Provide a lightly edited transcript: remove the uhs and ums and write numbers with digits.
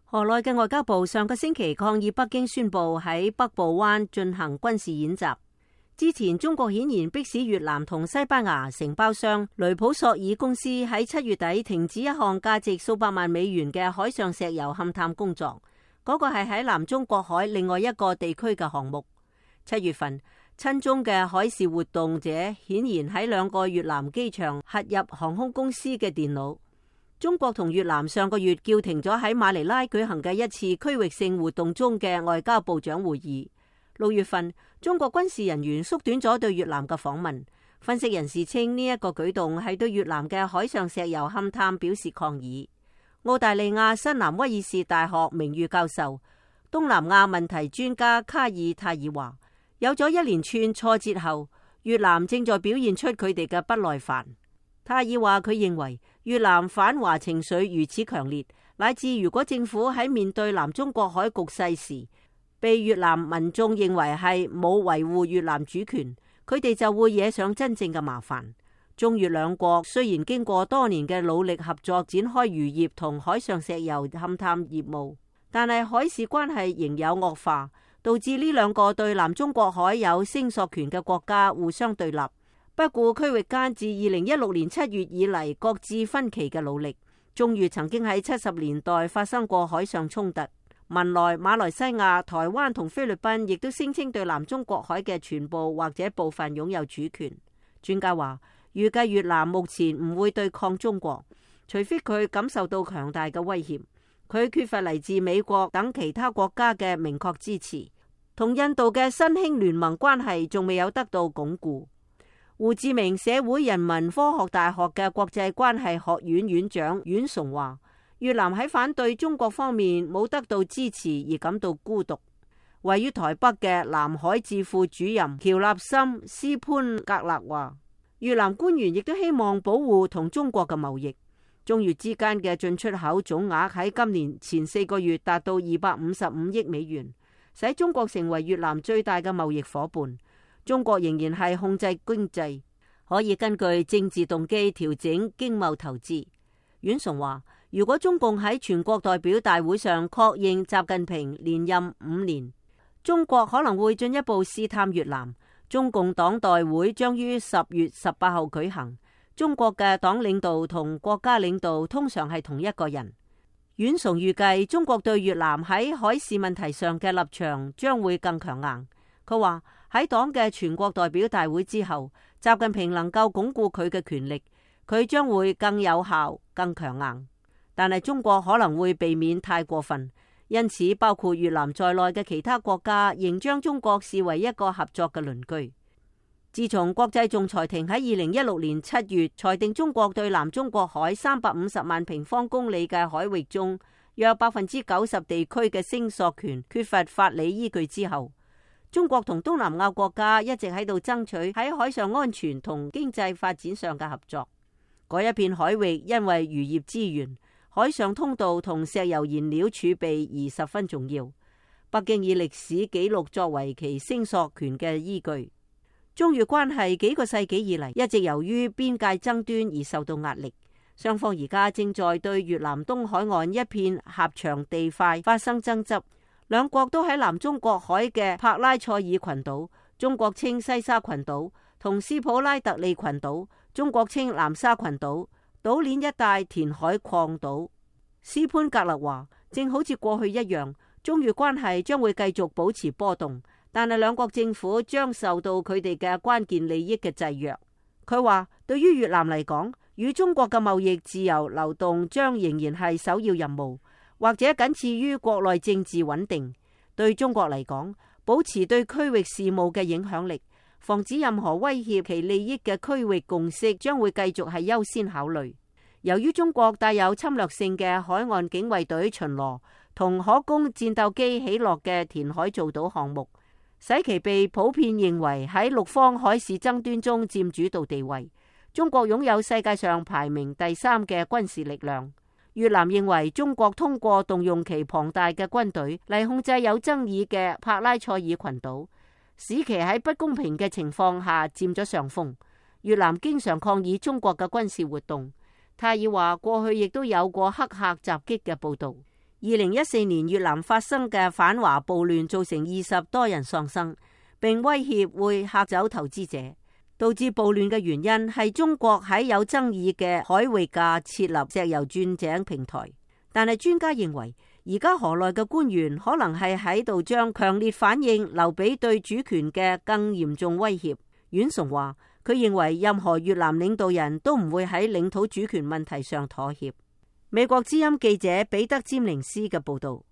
河內嘅外交部上個星期抗議北京宣布喺北部灣進行軍事演習。之前中國顯然迫使越南同西班牙承包商雷普索爾公司喺7月底停止一項價值數百萬美元嘅海上石油勘探工作，嗰個係喺南中國海另外一個地區嘅項目。7月份，親中嘅海事活動者顯然喺2個越南機場核入航空公司嘅電腦。中國同越南上個月叫停咗喺馬尼拉舉行嘅一次區域性活動中嘅外交部長會議。6月份，中國軍事人員縮短咗對越南嘅訪問。分析人士稱呢一個舉動係對越南嘅海上石油勘探表示抗議。澳大利亞新南威爾士大學名譽教授、東南亞問題專家卡爾泰爾話，有咗一連串挫折後，越南正在表現出佢哋嘅不耐煩。泰爾話佢認為越南反華情緒如此強烈，乃至如果政府喺面對南中國海局勢時，被越南民眾認為係冇維護越南主權，佢哋就會惹上真正嘅麻煩。中越兩國雖然經過多年嘅努力合作展開漁業同海上石油勘探業務，但係海事關係仍有惡化，導致呢2個對南中國海有聲索權嘅國家互相對立，不顧區域間自2016年7月以嚟各自分歧嘅努力。中越曾經喺70年代發生過海上衝突。文萊、馬來西亞、台灣同菲律賓亦都聲稱對南中國海嘅全部或者部分擁有主權。專家話，預計越南目前唔會對抗中國，除非佢感受到強大嘅威脅。佢缺乏嚟自美國等其他國家嘅明確支持，同印度嘅新興聯盟關係仲未有得到鞏固。胡志明社會人民科學大學嘅國際關係學院院長阮崇話，越南喺反對中國方面冇得到支持而感到孤獨。位於台北嘅南海智庫主任喬納森斯潘格勒話，越南官員亦都希望保護同中國嘅貿易。中越之間嘅進出口總額喺今年前4個月達到255億美元，使中國成為越南最大嘅貿易夥伴。中國仍然係控制經濟，可以根據政治動機調整經貿投資。阮崇話，如果中共喺全國代表大會上確認習近平連任5年，中國可能會進一步試探越南。中共黨代會將於10月18號舉行。中國嘅黨領導同國家領導通常係同一個人。阮崇預計中國對越南喺海事問題上嘅立場將會更強硬。佢話喺黨嘅全國代表大會之後，習近平能夠鞏固佢嘅權力，佢將會更有效、更強硬。但係中國可能會避免太過分，因此包括越南在內嘅其他國家仍將中國視為一個合作嘅鄰居。自從國際仲裁庭喺2016年7月裁定中國對南中國海350萬平方公里嘅海域中約90%地區嘅聲索權缺乏法理依據之後，中國同東南亞國家一直喺度爭取喺海上安全同經濟發展上嘅合作。嗰一片海域因為漁業資源、海上通道同石油燃料儲備而十分重要。北京以歷史紀錄作為其聲索權嘅依據。中越關係幾個世紀以嚟一直由於邊界爭端而受到壓力，雙方而家正在對越南東海岸一片狹長地塊發生爭執。兩國都喺南中國海嘅帕拉塞爾群島，中國稱西沙群島，同斯普拉特利群島，中國稱南沙群島，島鏈一帶填海礦島。斯潘格勒話，正好似過去一樣，中越關係將會繼續保持波動，但係兩國政府將受到佢哋嘅關鍵利益嘅制約。佢話，對於越南嚟講，與中國嘅貿易自由流動將仍然係首要任務，或者僅次於國內政治穩定。對中國嚟講，保持對區域事務嘅影響力，防止任何威脅其利益嘅區域共識將會繼續係優先考慮。由於中國帶有侵略性嘅海岸警衛隊巡邏同可供戰鬥機起落嘅填海造島項目，使其被普遍認為喺陸方海事爭端中佔主導地位。中國擁有世界上排名第3嘅軍事力量。越南認為中國通過動用其龐大嘅軍隊嚟控制有爭議嘅帕拉塞爾群島，使其喺不公平嘅情況下佔咗上風。越南經常抗議中國嘅軍事活動。泰爾話過去亦都有過黑客襲擊嘅報導。2014年越南發生嘅反華暴亂造成20多人喪生，並威脅會嚇走投資者。導致暴亂嘅原因係中國喺有爭議嘅海域架設立石油鑽井平台。但係專家認為，而家河內嘅官員可能係喺度將強烈反應留俾對主權嘅更嚴重威脅。阮崇話，佢認為任何越南領導人都唔會喺領土主權問題上妥協。美國之音記者彼得·詹寧斯嘅報道。